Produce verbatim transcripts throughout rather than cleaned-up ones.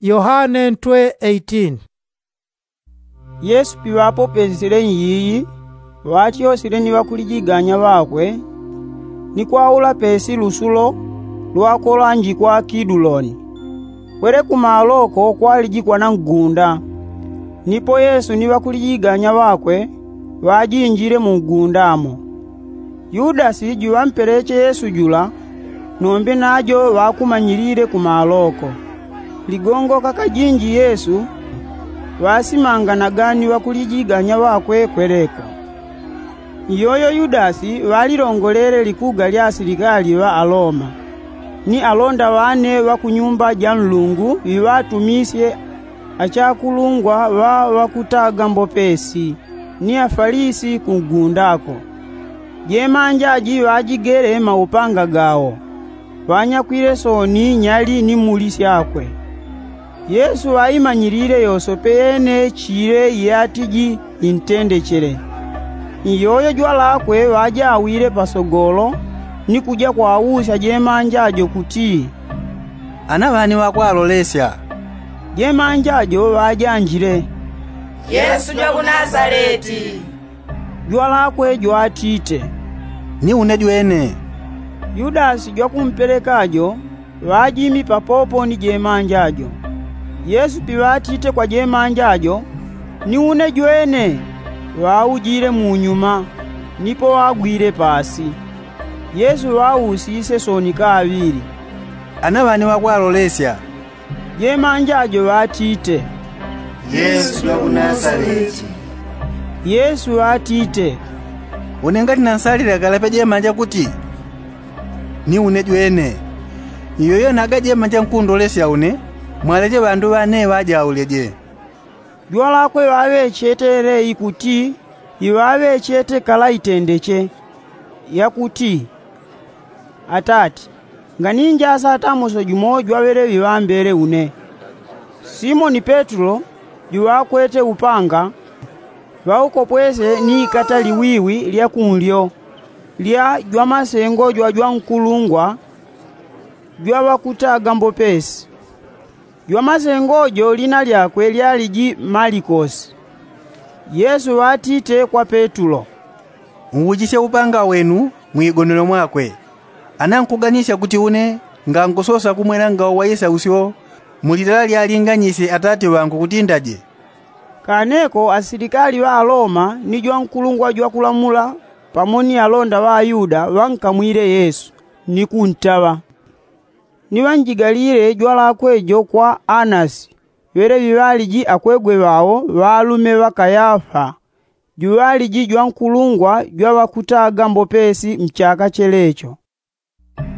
Yohane ntwe eighteen. Yesu piŵapopesile nyiyi, ŵatyosile ni ŵakulijiganya ŵakwe, ni kwaula pesi lusulo lwakolanjikwa kiduloni. Kwele kumaloko kwalijikwa na ngunda. Nipo yesu ni ŵakulijiganya ŵakwe ŵajinjile mu ngunda mo. Yudasi juŵampeleche yesu jula, nombe najo ŵakumanyilile kumaloko. Ligongo kakajinji yesu ŵasimanganaga ni ŵakulijiganya ŵakwe kweleko. Iyoyo yudasi ŵalilongolele likuga lya asilikali ŵa aloma, ni alonda ŵane ŵa ku nyumba ja nlungu ŵiŵatumisye achakulungwa ŵa ŵakutaga mbopesi ni afalisi ku ngundako. Jemanja ji ŵajigele maupanga gawo, ŵanyakwile soni nyali ni muli syakwe. Yesu ŵaimanyilile yosope yene chile yatiji intendechele. Iyoyo jwalakwe ŵajawile pasogolo, ni kuja kwausya jemanja jo kuti, ana ŵani ŵakwalolesya? Jemanja jo ŵajanjile, yesu jwa ku nasaleti. Jwalakwe jwatite, ni une jwene. Yudasi jwakumpeleka jo ŵajimi papopo ni jemanja jo. Yesu piŵatite kwa jemanja jo, ni une jwene, ŵaujile munyuma, nipo ŵagwile pasi. Yesu ŵausisye soni kaŵili, ana ŵani ŵakwalolesya? Jemanja jo ŵatite, yesu jwa ku nasaleti. Yesu ŵatite, une ngati nansalila kalape jemanja kuti, ni une jwene. Iyoyo naga jemanja nkundolesya une, mwaleche ŵandu ŵane ŵajaule je. Jwalakwe ŵaŵechete yele ikuti iŵaŵechete kala itendeche, yakuti, atati, nganinjasa ata muso jumo jwaŵele ŵiŵambele une. Simoni petulo juŵakwete upanga, ŵaukopwese ni ikata liwiwi lya kunlyo lya jwamasengo jwa jwankulungwa jwa ŵakutaga mbopesi. Jwamasengo jo lina lyakwe lyaliji malikosi. Yesu ŵatite kwa petulo, uwujisye upanga wenu mwigonelo mwakwe. Ana nkuganisya kuti une ngangusosa kumwela ngawo wa isausyo mu litala lyalinganyisye atati ŵangu kuti ndaje. Kaneko asilikali ŵa aloma ni jwankulungwa jwakulamula pamo ni alonda ŵa ayuda ŵankamwile yesu, ni kuntaŵa. Ni ŵanjigalile jwalakwe jo kwa anasi, ŵele ŵiŵaliji akwegwe ŵao ŵalume ŵa kayafa, juŵaliji jwankulungwa jwa ŵakutaga mbopesi mchaka chelecho.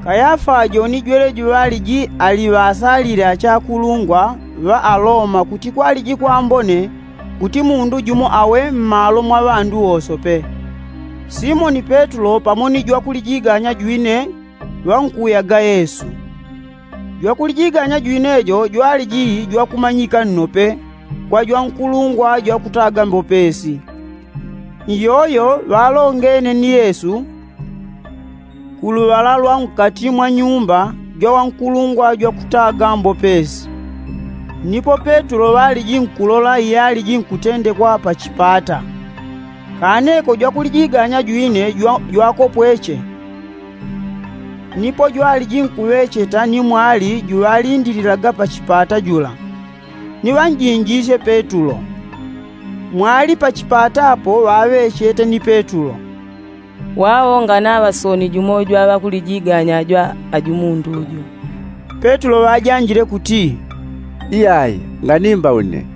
Kayafa jo ni jwele juŵaliji ali ŵasalile achakulungwa ŵa aloma kuti kwaliji kwambone kuti mundu jumo awe mmalo mwa ŵandu wosope. Simoni petulo pamo ni jwakulijiganya jwine ŵankuyaga yesu. Jwakulijiganya jwine jo jwaliji jwakumanyika nnope kwa jwankulungwa jwakutaga mbopesi. Iyoyo ŵalongene ni yesu ku luŵala lwa nkati mwa nyumba jwa wankulungwa jwakutaga mbopesi. Nipo petulo ŵaliji nkulola iyaliji nkutendekwa pa chipata. Kaneko jwakulijiganya jwine jwakopweche. Nipo jwaliji nkuŵecheta ni mwali juŵalindililaga pa chipata jula, ni ŵanjinjisye petulo. Mwali pa chipata apo ŵaŵechete ni petulo. Wao nganaŵa soni jumo jwa ŵakulijiganya jwa ajumundu jo. Petulo ŵajanjile kuti, iyai, nganimba une.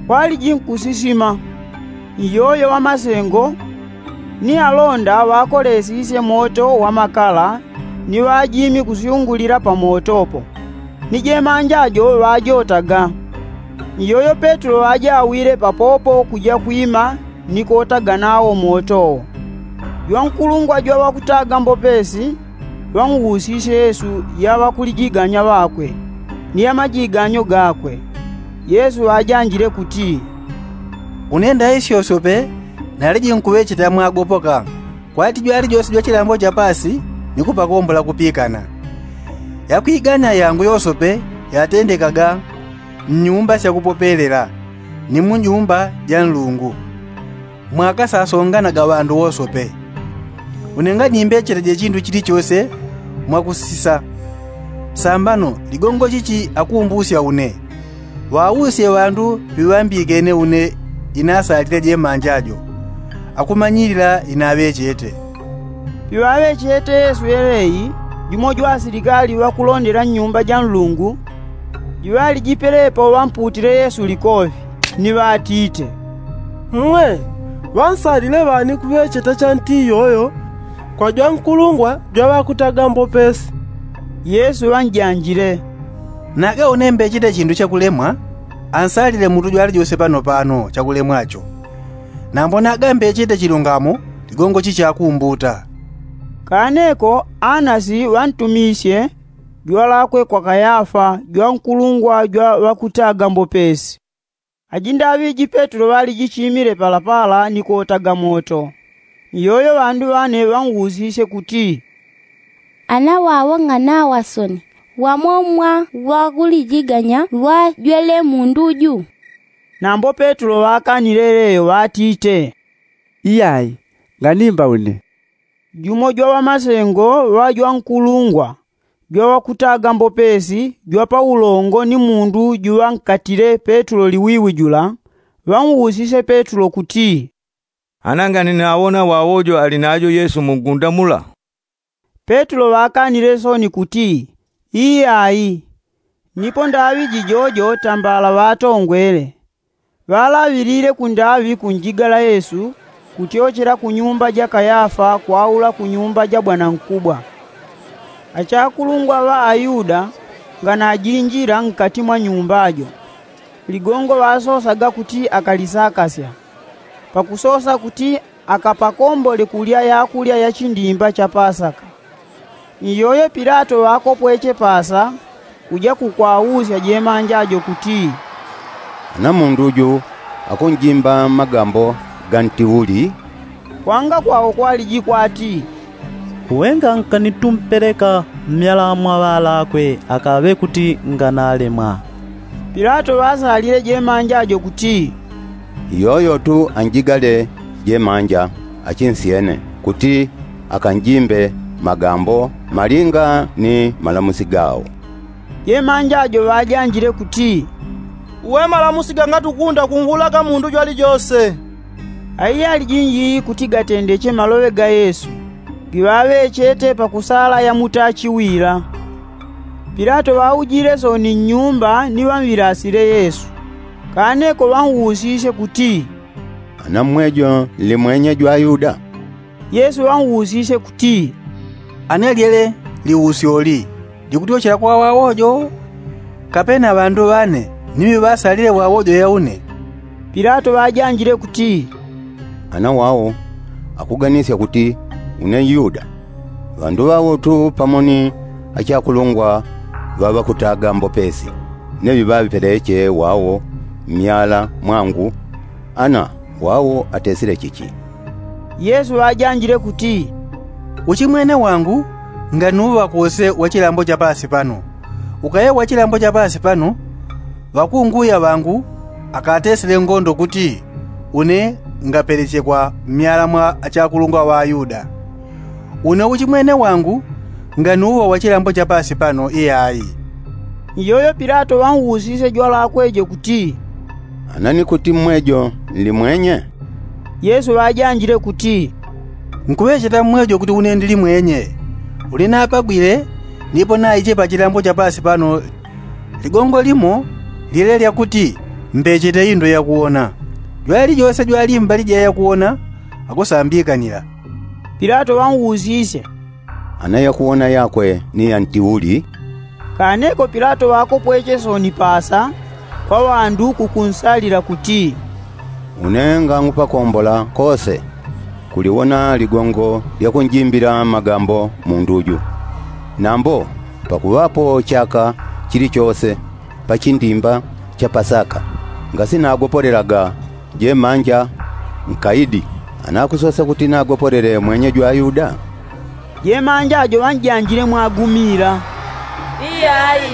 Kwaliji nkusisima. Iyoyo ŵamasengo ni alonda ŵakolesisye moto wa makala ni ŵajimi kusyungulila pa moto po, ni jemanja jo ŵajotaga. Iyoyo petulo ŵajawile papopo kuja kwima ni kotaga nawo moto wo. Jwankulungwa jwa ŵakutaga mbopesi ŵan'wusisye yesu ya ŵakulijiganya ŵakwe ni ya majiganyo gakwe. Yesu ŵajanjile kuti, une ndaisyosope naliji nkuŵecheta mwagopoka. Kwati jwalijose jwa chilambo cha pasi ni kupakombola kupikana. Yakwigana yangu yosope yatendekaga. Mnyumba syakupopelela ni munyumba ja nlungu mwakasasonganaga ŵandu wosope. Une nganimbechetaje chindu chilichose mwakusisa. Sambano ligongo chichi akumbusya une? Ŵausye ŵandu piŵambikene une inasalile jemanja jo akumanyilila inaŵechete. Piŵaŵechete yesu yeleyi, jumo jwa asilikali ŵakulondela nnyumba ja nlungu juŵalijipelepo ŵamputile yesu likoŵi, ni ŵatite, mwe, ŵansalile ŵani kuŵecheta chanti iyoyo kwa jwankulungwa jwa ŵakutaga mbopesi? Yesu ŵanjanjile, naga une mbechete chindu chakulemwa, ansalile mundu jwalijose pano pano chakulemwa cho. Nambo naga mbechete chilungamo, ligongo chichi akumbuta. Kaneko anasi ŵantumisye jwalakwe kwa kayafa jwankulungwa jwa ŵakutaga mbopesi. Ajindaŵiji petulo ŵalijichimile palapala ni kotaga moto. Iyoyo ŵandu ŵane ŵan'usisye kuti, ana wawo nganawa soni wamo mwa ŵakulijiganya ŵajwele mundu ju? Nambo petulo ŵakanile yeleyo ŵatite, iyai, nganimba une. Jumo jwa ŵamasengo ŵa jwankulungwa jwa ŵakutaga mbopesi jwa paulongo ni mundu juŵankatile petulo liwiwi jula, ŵan'usisye petulo kuti, ana ngani nawona wawojo ali najo yesu mungunda mula? Petulo ŵakanile soni kuti, iyai. Nipo ndaŵi jijojo tambala ŵatongwele. Ŵalaŵilile kundaŵi kunjigala yesu kutyochela kunyumba ja kayafa kwaula kunyumba ja bwanankubwa. Achakulungwa ŵa ayuda nganajinjila nkati mwa nyumba jo, ligongo ŵasosaga kuti akalisakasya, pakusosa kuti akapakombole kulya yakulya ya chindimba cha pasaka. Iyoyo pilato ŵakopweche pasa kuja kukwausya jemanja jo kuti, ana mundu ju akunjimba magambo ga nti uli? Kwanga kwawo kwaliji kwati, uwe ngankanitumpeleka mmyala mwa ŵalakwe akaŵe kuti nganalemwa. Pilato ŵasalile jemanja jo kuti, iyoyo tu anjigale jemanja achinsyene kuti akanjimbe magambo malinga ni malamusi gao. Jemanja jo ŵajanjile kuti, uwe malamusi gangatukunda kunhulaga mundu jwalijose. Aiyaliji njiyi kuti gatendeche maloŵe ga yesu giŵaŵechete pakusala yamutachi wila. Pilato ŵaujile soni nnyumba ni ŵanwilasile yesu. Kaneko ŵan'usisye kuti, ana mmwejo nli mwenye jwa ayuda? Yesu ŵan'usisye kuti, ane lyele liusyo li likutyochela kwa wawojo, kapena ŵandu ŵane ni ŵiŵasalile wawojo ya une? Pilato ŵajanjile kuti, ana wao akuganisya kuti une nyuda. Ŵandu ŵao tu pamo ni achakulungwa ŵa ŵakutaga mbopesi ne ŵiŵaŵipeleche wao mmyala mwangu. Ana wao atesile chichi? Yesu ŵajanjile kuti, uchimwene wangu nganiuŵa kose wa chilambo cha pasi pano. Ukaye wa chilambo cha pasi pano ŵakunguya ŵangu akatesile ngondo kuti une ngapeleche kwa mmyala mwa achakulungwa ŵa ayuda. Une uchimwene wangu nganiuŵa wa chilambo cha pasi pano iyayi. Iyoyo pilato ŵan'usisye jwalakwe jo kuti, ana ni kuti mmwejo nli mwenye? Yesu ŵajanjile kuti, nkuŵecheta mmwejo kuti une ndili mwenye. Uli napagwile nipo naiche pa chilambo cha pasi pano ligongo limo lyele lya kuti mbechete indo yakuwona. Jwalijose jwali mbali ja yakuwona akusambikanila. Pilato ŵan'usisye, ana yakuwona yakwe ni ya nti uli? Kaneko pilato ŵakopweche soni pasa kwa ŵandu kukunsalila kuti, une ngangupakombola kose kuliwona ligongo lya kunjimbila magambo mundu ju. Nambo pakuŵapo chaka chilichose pa chindimba cha pasaka ngasinagopolelaga jemanja nkaidi anakusosa kuti nagopolele mwenye jwa ayuda? Jemanja jo ŵanjanjile mwagumila, iyayi,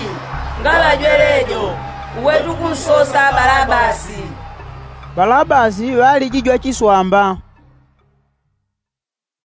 ngaŵajwelejo. Uwe tukunsosa balabasi. Balabasi ŵalijijwa chiswamba.